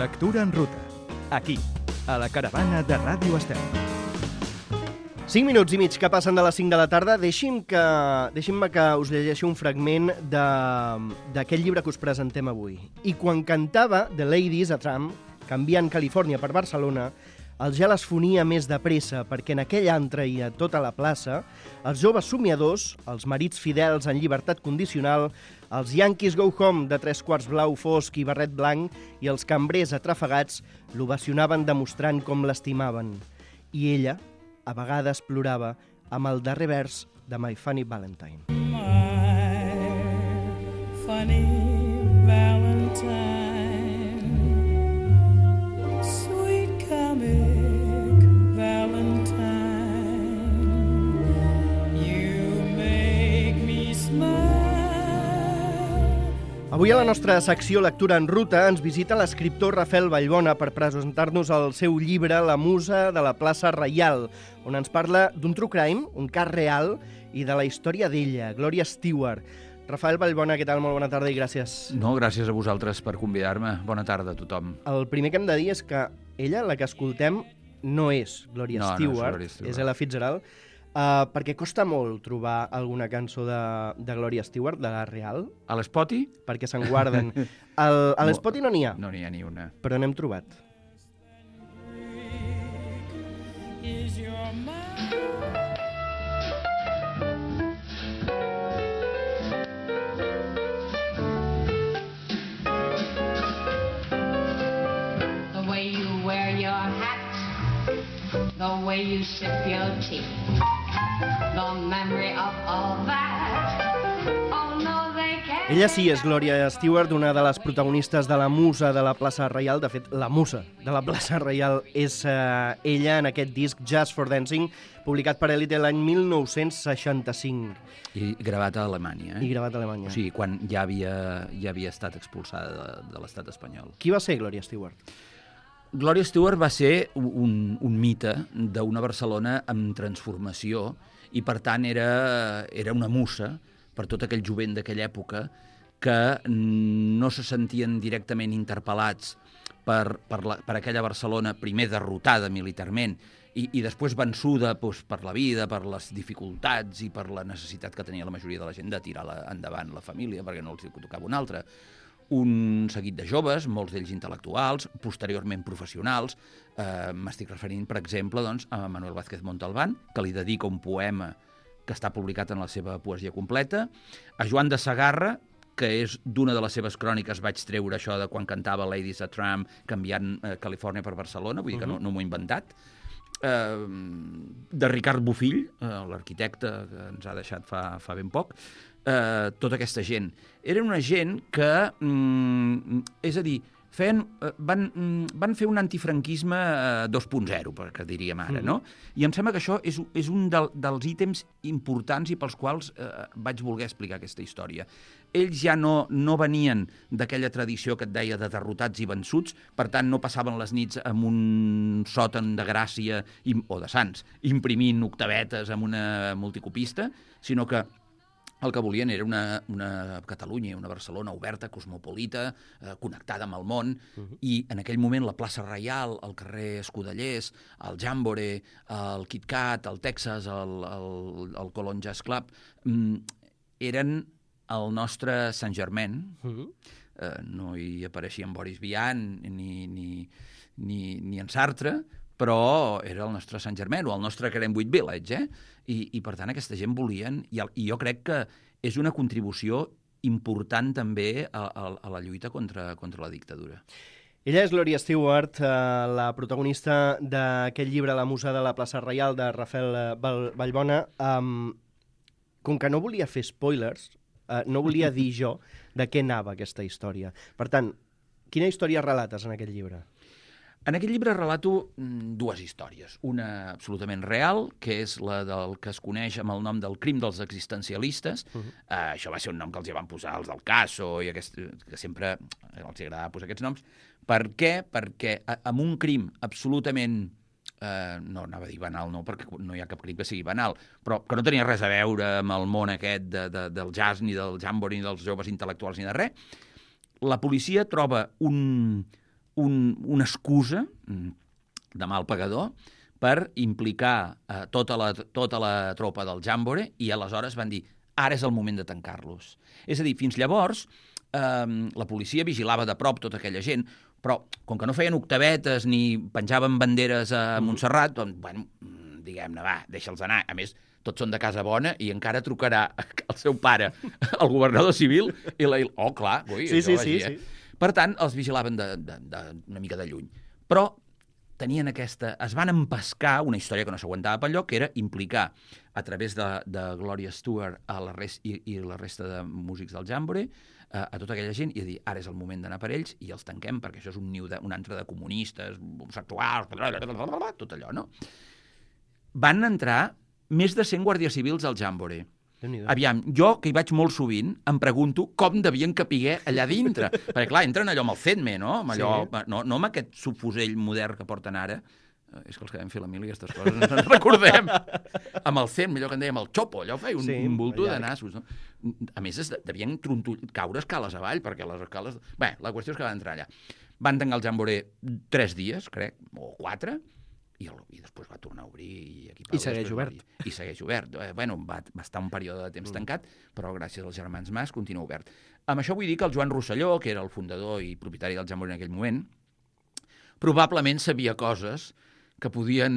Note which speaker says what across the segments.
Speaker 1: Lectura en ruta. Aquí, a la caravana de Ràdio Estel.
Speaker 2: 5 minuts i mig que passen de les 5 de la tarda. Deixin-me que us llegeixi un fragment d'aquest llibre que us presentem avui. I quan cantava The Ladies a Tram, canviant Califòrnia per Barcelona, el gel es fonia més de pressa perquè en aquell antre i a tota la plaça els joves somiadors, els marits fidels en llibertat condicional, els Yankees Go Home de 3/4 blau fosc i barret blanc i els cambrers atrafegats l'ovacionaven demostrant com l'estimaven. I ella, a vegades, plorava amb el darrer vers de My Funny Valentine.
Speaker 3: My funny Valentine, sweet comic Valentine, you make me smile.
Speaker 2: Avui a la nostra secció Lectura en Ruta ens visita l'escriptor Rafael Vallbona per presentar-nos el seu llibre La musa de la plaça Reial, on ens parla d'un true crime, un cas real, i de la història d'ella, Gloria Stewart. Rafael Vallbona, què tal? Molt bona tarda i gràcies.
Speaker 4: No, gràcies a vosaltres per convidar-me. Bona tarda a tothom.
Speaker 2: El primer que hem de dir és que ella, la que escoltem, no és Gloria Stewart,
Speaker 4: no és Gloria Stewart.
Speaker 2: És Ella Fitzgerald, perquè costa molt trobar alguna cançó de Gloria Stewart, de la real,
Speaker 4: A l'Spotty?
Speaker 2: perquè se'n guarden. A l'Spotty no n'hi ha,
Speaker 4: No n'hi ha ni una.
Speaker 2: però n'hem trobat.
Speaker 3: Is your mind?
Speaker 5: The way you wear your hat, the way you sip your tea, the memory of all that. Oh no, they can't.
Speaker 2: Ella sí és Gloria Stewart, una de les protagonistes de la musa de la plaça Reial. De fet, la musa de la plaça Reial és ella en aquest disc Just for Dancing, publicat per Elite l'any 1965
Speaker 4: I gravat a Alemanya,
Speaker 2: i gravat a Alemanya.
Speaker 4: O sigui, quan ja havia estat expulsada de l'estat espanyol.
Speaker 2: Qui va ser Gloria Stewart?
Speaker 4: Gloria Stewart va ser un mite d'una Barcelona amb transformació i, per tant, era una musa per tot aquell jovent d'aquella època que no se sentien directament interpel·lats per aquella Barcelona, primer derrotada militarment i després vençuda per la vida, per les dificultats i per la necessitat que tenia la majoria de la gent de tirar endavant la família perquè no els tocava una altra. Un seguit de joves, molts d'ells intel·lectuals, posteriorment professionals. M'estic referint, per exemple, doncs, a Manuel Vázquez Montalbán, que li dedica un poema que està publicat en la seva poesia completa, a Joan de Segarra, que és d'una de les seves cròniques, vaig treure això de quan cantava Ladies a Tram, canviant Califòrnia per Barcelona, vull dir que no m'ho he inventat, de Ricard Bofill, l'arquitecte que ens ha deixat fa ben poc, tota aquesta gent. Era una gent que, és a dir, van fer un antifranquisme 2.0, que diríem ara, no? I em sembla que això és un dels ítems importants i pels quals vaig voler explicar aquesta història. Ells ja no venien d'aquella tradició que et deia de derrotats i vençuts, per tant no passaven les nits amb un sòtan de Gràcia o de Sants, imprimint octavetes amb una multicopista, sinó que el que volien era una Catalunya, una Barcelona oberta, cosmopolita, connectada amb el món, i en aquell moment la plaça Reial, el carrer Escudellers, el Jambore, el Kit Kat, el Texas, el Colón Jazz Club, eren el nostre Sant Germain. No hi apareixia en Boris Vian ni en Sartre, però era el nostre Sant Germain o el nostre Greenwich Village, I per tant aquesta gent volien, i jo crec que és una contribució important també a la lluita contra la dictadura.
Speaker 2: Ella és Gloria Stewart, la protagonista d'aquest llibre La musa de la plaça Reial, de Rafael Vallbona. Com que no volia fer spoilers, no volia dir jo de què anava aquesta història. Per tant, quina història relates en aquest llibre?
Speaker 4: En aquest llibre relato dues històries. Una absolutament real, que és la del que es coneix amb el nom del crim dels existencialistes. Això va ser un nom que els hi van posar els del Caso, que sempre els agradava posar aquests noms. Per què? Perquè amb un crim absolutament no anava a dir banal, no, perquè no hi ha cap crim que sigui banal, però que no tenia res a veure amb el món aquest del jazz, ni del jambore, ni dels joves intel·lectuals, ni de res, la policia troba una excusa de mal pagador per implicar tota la tropa del Jàmbore i aleshores van dir ara és el moment de tancar-los. És a dir, fins llavors la policia vigilava de prop tota aquella gent, però com que no feien octavetes ni penjaven banderes a Montserrat, doncs, bueno, diguem-ne, va, deixa'ls anar. A més, tots són de casa bona i encara trucarà el seu pare al governador civil i oh, clar, ui,
Speaker 2: sí.
Speaker 4: Per tant, els vigilaven una mica de lluny. Però tenien es van empescar una història que no s'aguantava pel lloc, que era implicar a través de Gloria Stewart i la resta de músics del Jàmbore a tota aquella gent i a dir, ara és el moment d'anar per ells i els tanquem perquè això és un antre de comunistes, homosexuals, tot allò, no? Van entrar més de 100 guàrdies civils al Jàmbore. Aviam, jo, que hi vaig molt sovint, em pregunto com devien capiguer allà dintre. Perquè, clar, entren allò amb el CEDME, no? Amb allò, no amb aquest subfusell modern que porten ara. És que els que vam fer la mili, aquestes coses, no ens recordem. Amb el CEDME, allò que en dèiem el xopo, allò feia un bulto de nassos. No? A més, devien caure escales avall, perquè les escales... Bé, la qüestió és que van entrar allà. Van tancar el Jàmbore 3 dies, crec, o 4, i després va tornar a obrir.
Speaker 2: I segueix obert.
Speaker 4: I segueix obert. Bueno, va estar un període de temps tancat, però gràcies als germans Mas continua obert. Amb això vull dir que el Joan Rosselló, que era el fundador i propietari del Jàmbore en aquell moment, probablement sabia coses que podien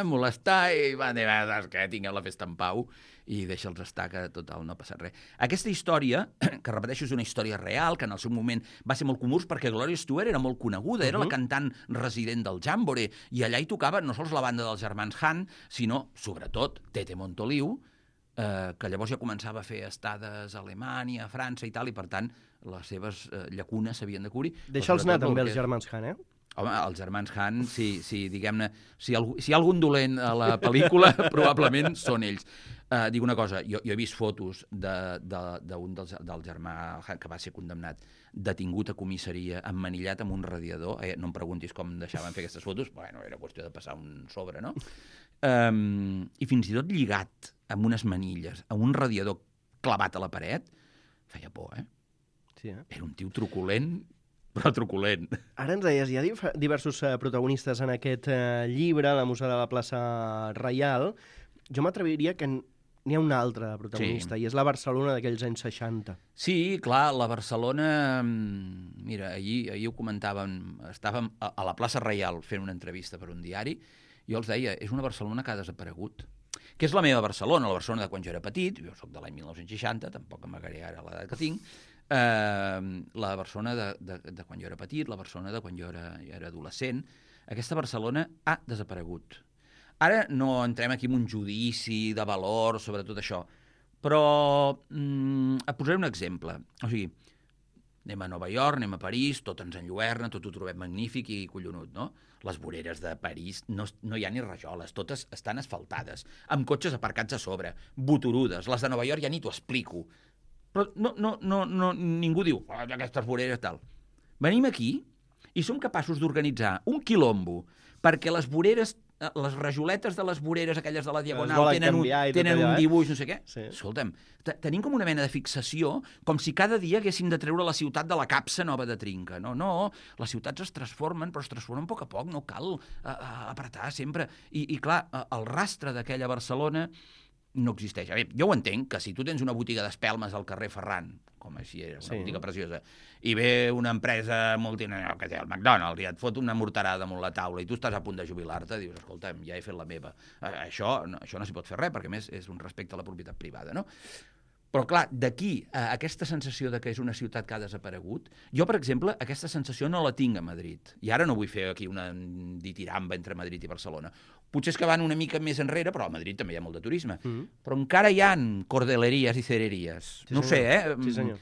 Speaker 4: molestar i van dir, que tingueu la festa en pau i deixa'ls estar, que total no passa res. Aquesta història, que repeteixo, és una història real, que en el seu moment va ser molt comú perquè Gloria Stewart era molt coneguda, era la cantant resident del Jàmbore, i allà hi tocava no sols la banda dels germans Han, sinó, sobretot, Tete Montoliu, que llavors ja començava a fer estades a Alemanya, a França i tal, i per tant les seves llacunes s'havien de cobrir.
Speaker 2: Deixa'ls anar també els germans Han,
Speaker 4: Home, els germans Han, si diguem-ne, si hi ha algun dolent a la pel·lícula, probablement són ells. Dic una cosa, jo he vist fotos d'un del germà Han que va ser condemnat, detingut a comissaria, emmanillat amb un radiador. No em preguntis com deixaven fer aquestes fotos, bueno, era qüestió de passar un sobre, no? I fins i tot lligat amb unes manilles, amb un radiador clavat a la paret, feia por,
Speaker 2: Sí,
Speaker 4: Era un tio truculent, però truculent.
Speaker 2: Ara ens deies, hi ha diversos protagonistes en aquest llibre, La musa de la plaça Reial. Jo m'atreviria que n'hi ha un altre protagonista, i és la Barcelona d'aquells anys 60.
Speaker 4: Sí, clar, la Barcelona... Mira, ahir ho comentàvem, estàvem a la plaça Reial fent una entrevista per un diari, i jo els deia, és una Barcelona que ha desaparegut. Que és la meva Barcelona, la Barcelona de quan jo era petit, jo soc de l'any 1960, tampoc amagaré ara l'edat que tinc, la Barcelona de quan jo era petit, la Barcelona de quan jo era adolescent. Aquesta Barcelona ha desaparegut. Ara no entrem aquí en un judici de valor sobre tot això, però et posaré un exemple. O sigui, anem a Nova York, anem a París, tot ens enlluerna, tot ho trobem magnífic i collonut, no? Les voreres de París no hi ha ni rajoles, totes estan asfaltades, amb cotxes aparcats a sobre, boturudes. Les de Nova York ja ni t'ho explico. Però ningú diu, aquestes voreres tal. Venim aquí i som capaços d'organitzar un quilombo perquè les voreres, les rajoletes de les voreres, aquelles de la Diagonal, tenen un dibuix, no sé què. Sí. Escolta'm, tenim com una mena de fixació, com si cada dia haguéssim de treure la ciutat de la capsa nova de trinca. No, les ciutats es transformen, però es transformen a poc a poc, no cal apretar sempre. I clar, el rastre d'aquella Barcelona no existeix. A veure, jo ho entenc, que si tu tens una botiga d'espelmes al carrer Ferran, com així era, una botiga preciosa, i ve una empresa multinacional, que té el McDonald's, i et fot una morterada damunt la taula, i tu estàs a punt de jubilar-te, dius, escolta'm, ja he fet la meva. Això no s'hi pot fer res, perquè a més és un respecte a la propietat privada, no? Però, clar, d'aquí a aquesta sensació de que és una ciutat que ha desaparegut, jo, per exemple, aquesta sensació no la tinc a Madrid. I ara no vull fer aquí una ditiramba entre Madrid i Barcelona. Potser és que van una mica més enrere, però a Madrid també hi ha molt de turisme. Però encara hi ha cordeleries i cereries. Sí, no ho sé,
Speaker 2: Sí, senyor.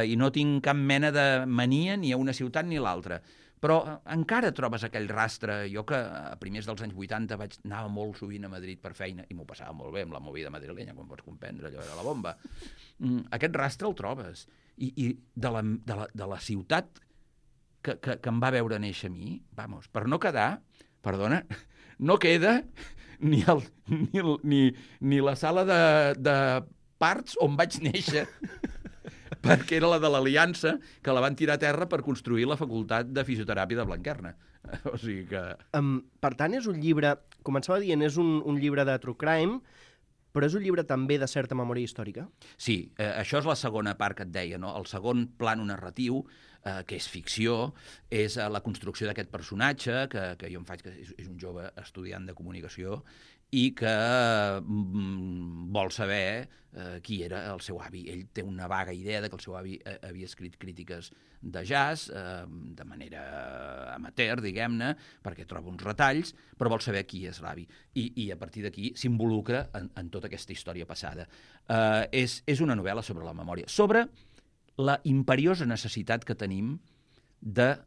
Speaker 4: I no tinc cap mena de mania ni a una ciutat ni a l'altra. Però encara trobes aquell rastre. Jo que a primers dels anys 80 anava molt sovint a Madrid per feina i m'ho passava molt bé amb la movida madrilenya, com pots comprendre, allò era la bomba. Aquest rastre el trobes. I de la ciutat que em va veure néixer a mi, vamos, per no quedar, perdona, no queda ni la sala de parts on vaig néixer. perquè era la de l'Aliança, que la van tirar a terra per construir la Facultat de Fisioteràpia de Blanquerna. O sigui que...
Speaker 2: Per tant, és un llibre, començava dient, és un llibre de true crime, però és un llibre també de certa memòria històrica?
Speaker 4: Sí, això és la segona part que et deia, no? El segon plano narratiu, que és ficció, és la construcció d'aquest personatge, que jo em faig, que és un jove estudiant de comunicació, i que vol saber qui era el seu avi. Ell té una vaga idea de que el seu avi havia escrit crítiques de jazz, de manera amateur, diguem-ne, perquè troba uns retalls, però vol saber qui és l'avi. I a partir d'aquí s'involucra en tota aquesta història passada. És una novel·la sobre la memòria, sobre la imperiosa necessitat que tenim de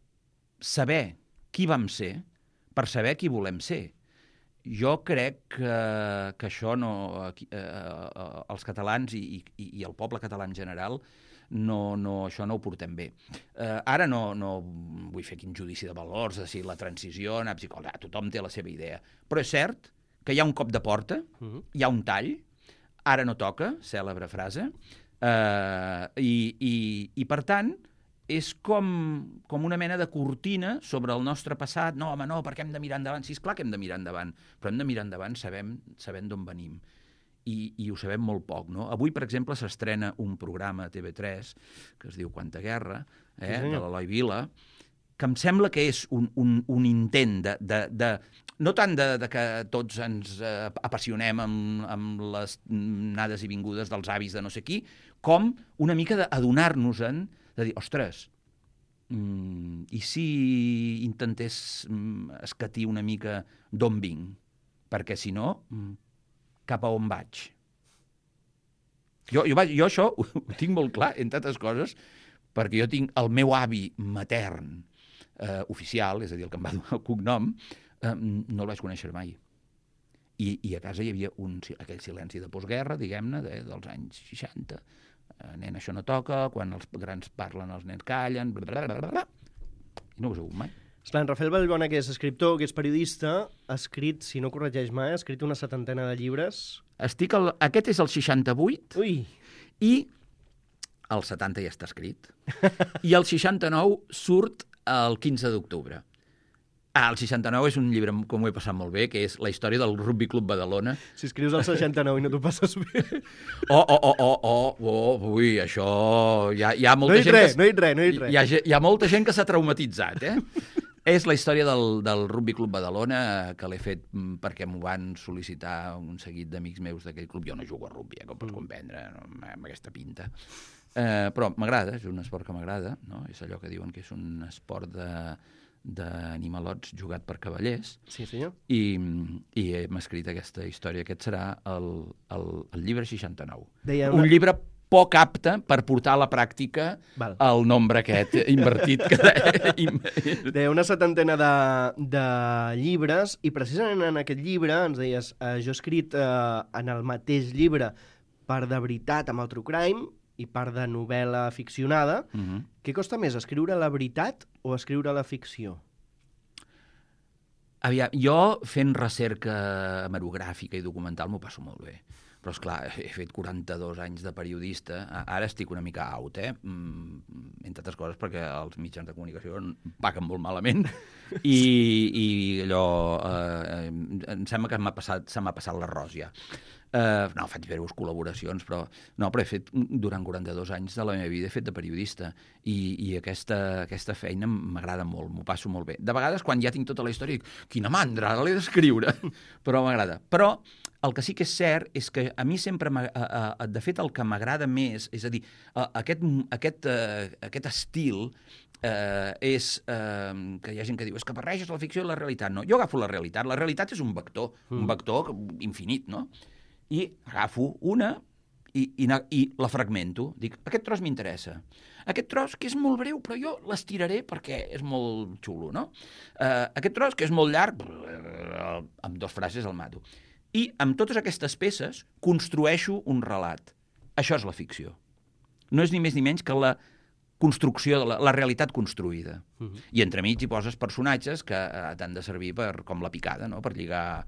Speaker 4: saber qui vam ser per saber qui volem ser. Jo crec que això no, els catalans i el poble català en general això no ho portem bé. Ara no vull fer quin judici de valors, de si la transició, tothom té la seva idea. Però és cert que hi ha un cop de porta, hi ha un tall, ara no toca, cèlebre frase, i per tant és com una mena de cortina sobre el nostre passat. No, home, no, perquè hem de mirar endavant. Sí, és clar que hem de mirar endavant, però hem de mirar endavant sabent d'on venim. I ho sabem molt poc, no? Avui, per exemple, s'estrena un programa a TV3 que es diu Quanta guerra, de l'Eloi Vila, que em sembla que és un intent no tant de que tots ens apassionem amb les anades i vingudes dels avis de no sé qui, com una mica d'adonar-nos-en, de dir, ostres, i si intentés escatir una mica d'on vinc? Perquè si no, cap a on vaig? Jo això ho tinc molt clar, entre altres coses, perquè jo tinc el meu avi matern oficial, és a dir, el que em va donar el cognom, no el vaig conèixer mai. I a casa hi havia aquell silenci de postguerra, diguem-ne, dels anys 60. Nen, això no toca, quan els grans parlen els nens callen, blablabla. I no ho he sabut mai.
Speaker 2: Esclar, en Rafael Vallbona, que és escriptor, que és periodista, ha escrit, si no corregeix mai, ha escrit una 70 de llibres.
Speaker 4: Aquest és el 68.
Speaker 2: Ui!
Speaker 4: I el 70 ja està escrit. I el 69 surt el 15 d'octubre. El 69 és un llibre que m'ho he passat molt bé, que és la història del Rugby Club Badalona.
Speaker 2: Si escrius el 69 i no t'ho passes bé...
Speaker 4: Ui, això... Hi ha molta gent
Speaker 2: No he dit res.
Speaker 4: Hi ha molta gent que s'ha traumatitzat, És la història del Rugby Club Badalona, que l'he fet perquè m'ho van sol·licitar un seguit d'amics meus d'aquell club. Jo no jugo a rugby, com pots comprendre, amb aquesta pinta. Però m'agrada, és un esport que m'agrada, no? És allò que diuen que és un esport d'animalots jugat per cavallers.
Speaker 2: Sí, senyor.
Speaker 4: I hem escrit aquesta història. Aquest serà el llibre 69. Un llibre poc apte per portar a la pràctica el nombre aquest invertit.
Speaker 2: Deia una 70 de llibres, i precisament en aquest llibre ens deies, jo he escrit en el mateix llibre part de veritat amb el true crime i part de novel·la ficcionada. Què costa més, escriure la veritat o escriure la ficció?
Speaker 4: Aviam, jo fent recerca hemerogràfica i documental m'ho passo molt bé. Però, esclar, he fet 42 anys de periodista. Ara estic una mica out, entre altres coses perquè els mitjans de comunicació paguen molt malament i allò... em sembla que se m'ha passat l'arròs ja. No, faig breus col·laboracions, però he fet durant 42 anys de la meva vida, he fet de periodista i aquesta feina m'agrada molt, m'ho passo molt bé. De vegades, quan ja tinc tota la història, dic, quina mandra, ara l'he d'escriure, però m'agrada. Però el que sí que és cert és que a mi sempre, de fet, el que m'agrada més, és a dir, aquest estil és que hi ha gent que diu és que barreges la ficció i la realitat. No, jo agafo la realitat és un vector infinit, no? I agafo una i la fragmento. Dic, aquest tros m'interessa. Aquest tros que és molt breu, però jo l'estiraré perquè és molt xulo, no? Aquest tros que és molt llarg, amb 2 frases el mato. I amb totes aquestes peces construeixo un relat. Això és la ficció. No és ni més ni menys que la construcció, la realitat construïda. I entremig hi poses personatges que t'han de servir com la picada, no? per lligar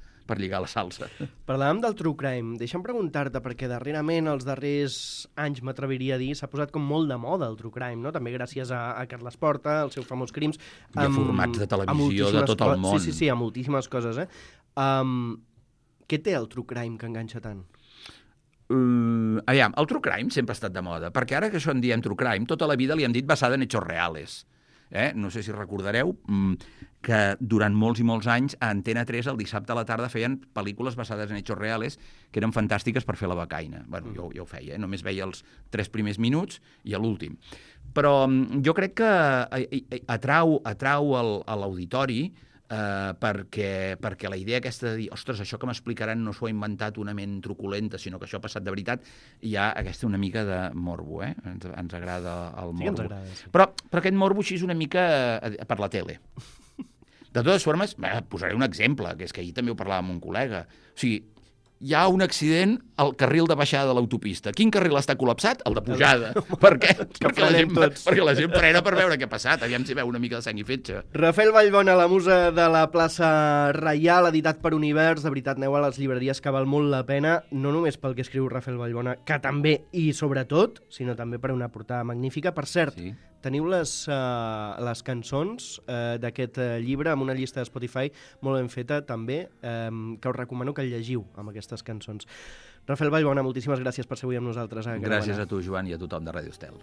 Speaker 4: la salsa.
Speaker 2: Parlàvem del true crime. Deixa'm preguntar-te, perquè darrerament, els darrers anys, m'atreviria a dir, s'ha posat com molt de moda el true crime, no? També gràcies a Carles Porta, als seus famosos crims.
Speaker 4: I a formats de televisió de tot el món.
Speaker 2: Sí, a moltíssimes coses, Què té el true crime que enganxa tant?
Speaker 4: Aviam, el true crime sempre ha estat de moda, perquè ara que això en diem true crime, tota la vida li hem dit basada en hechos reales. No sé si recordareu que durant molts i molts anys a Antena 3 el dissabte a la tarda feien pel·lícules basades en hechos reales que eren fantàstiques per fer la becaina. Bueno, jo ho feia, només veia els 3 primers minuts i a l'últim. Però jo crec que atrau a l'auditori perquè la idea aquesta de dir, ostres, això que m'explicaran no s'ho ha inventat una ment truculenta, sinó que això ha passat de veritat, hi ha aquesta una mica de morbo, ens agrada el morbo.
Speaker 2: Sí que ens agrada, sí.
Speaker 4: Però aquest morbo així és una mica per la tele. De totes formes, posaré un exemple, que és que ahir també ho parlàvem amb un col·lega. O sigui, hi ha un accident al carril de baixada de l'autopista. Quin carril està col·lapsat? El de pujada. Per què? Perquè la gent frena per veure què ha passat. Aviam si veu una mica de sang i fetge.
Speaker 2: Rafael Vallbona, la musa de la plaça Reial, editat per Univers. De veritat, aneu a les llibreries, que val molt la pena, no només pel que escriu Rafael Vallbona, que també i sobretot, sinó també per una portada magnífica. Per cert, sí. Teniu les cançons d'aquest llibre amb una llista de Spotify molt ben feta també, que us recomano que el llegiu amb aquestes cançons. Rafael Vallbona, moltíssimes gràcies per ser avui amb nosaltres.
Speaker 4: Gràcies a tu, Joan, i a tothom de Ràdio Estel.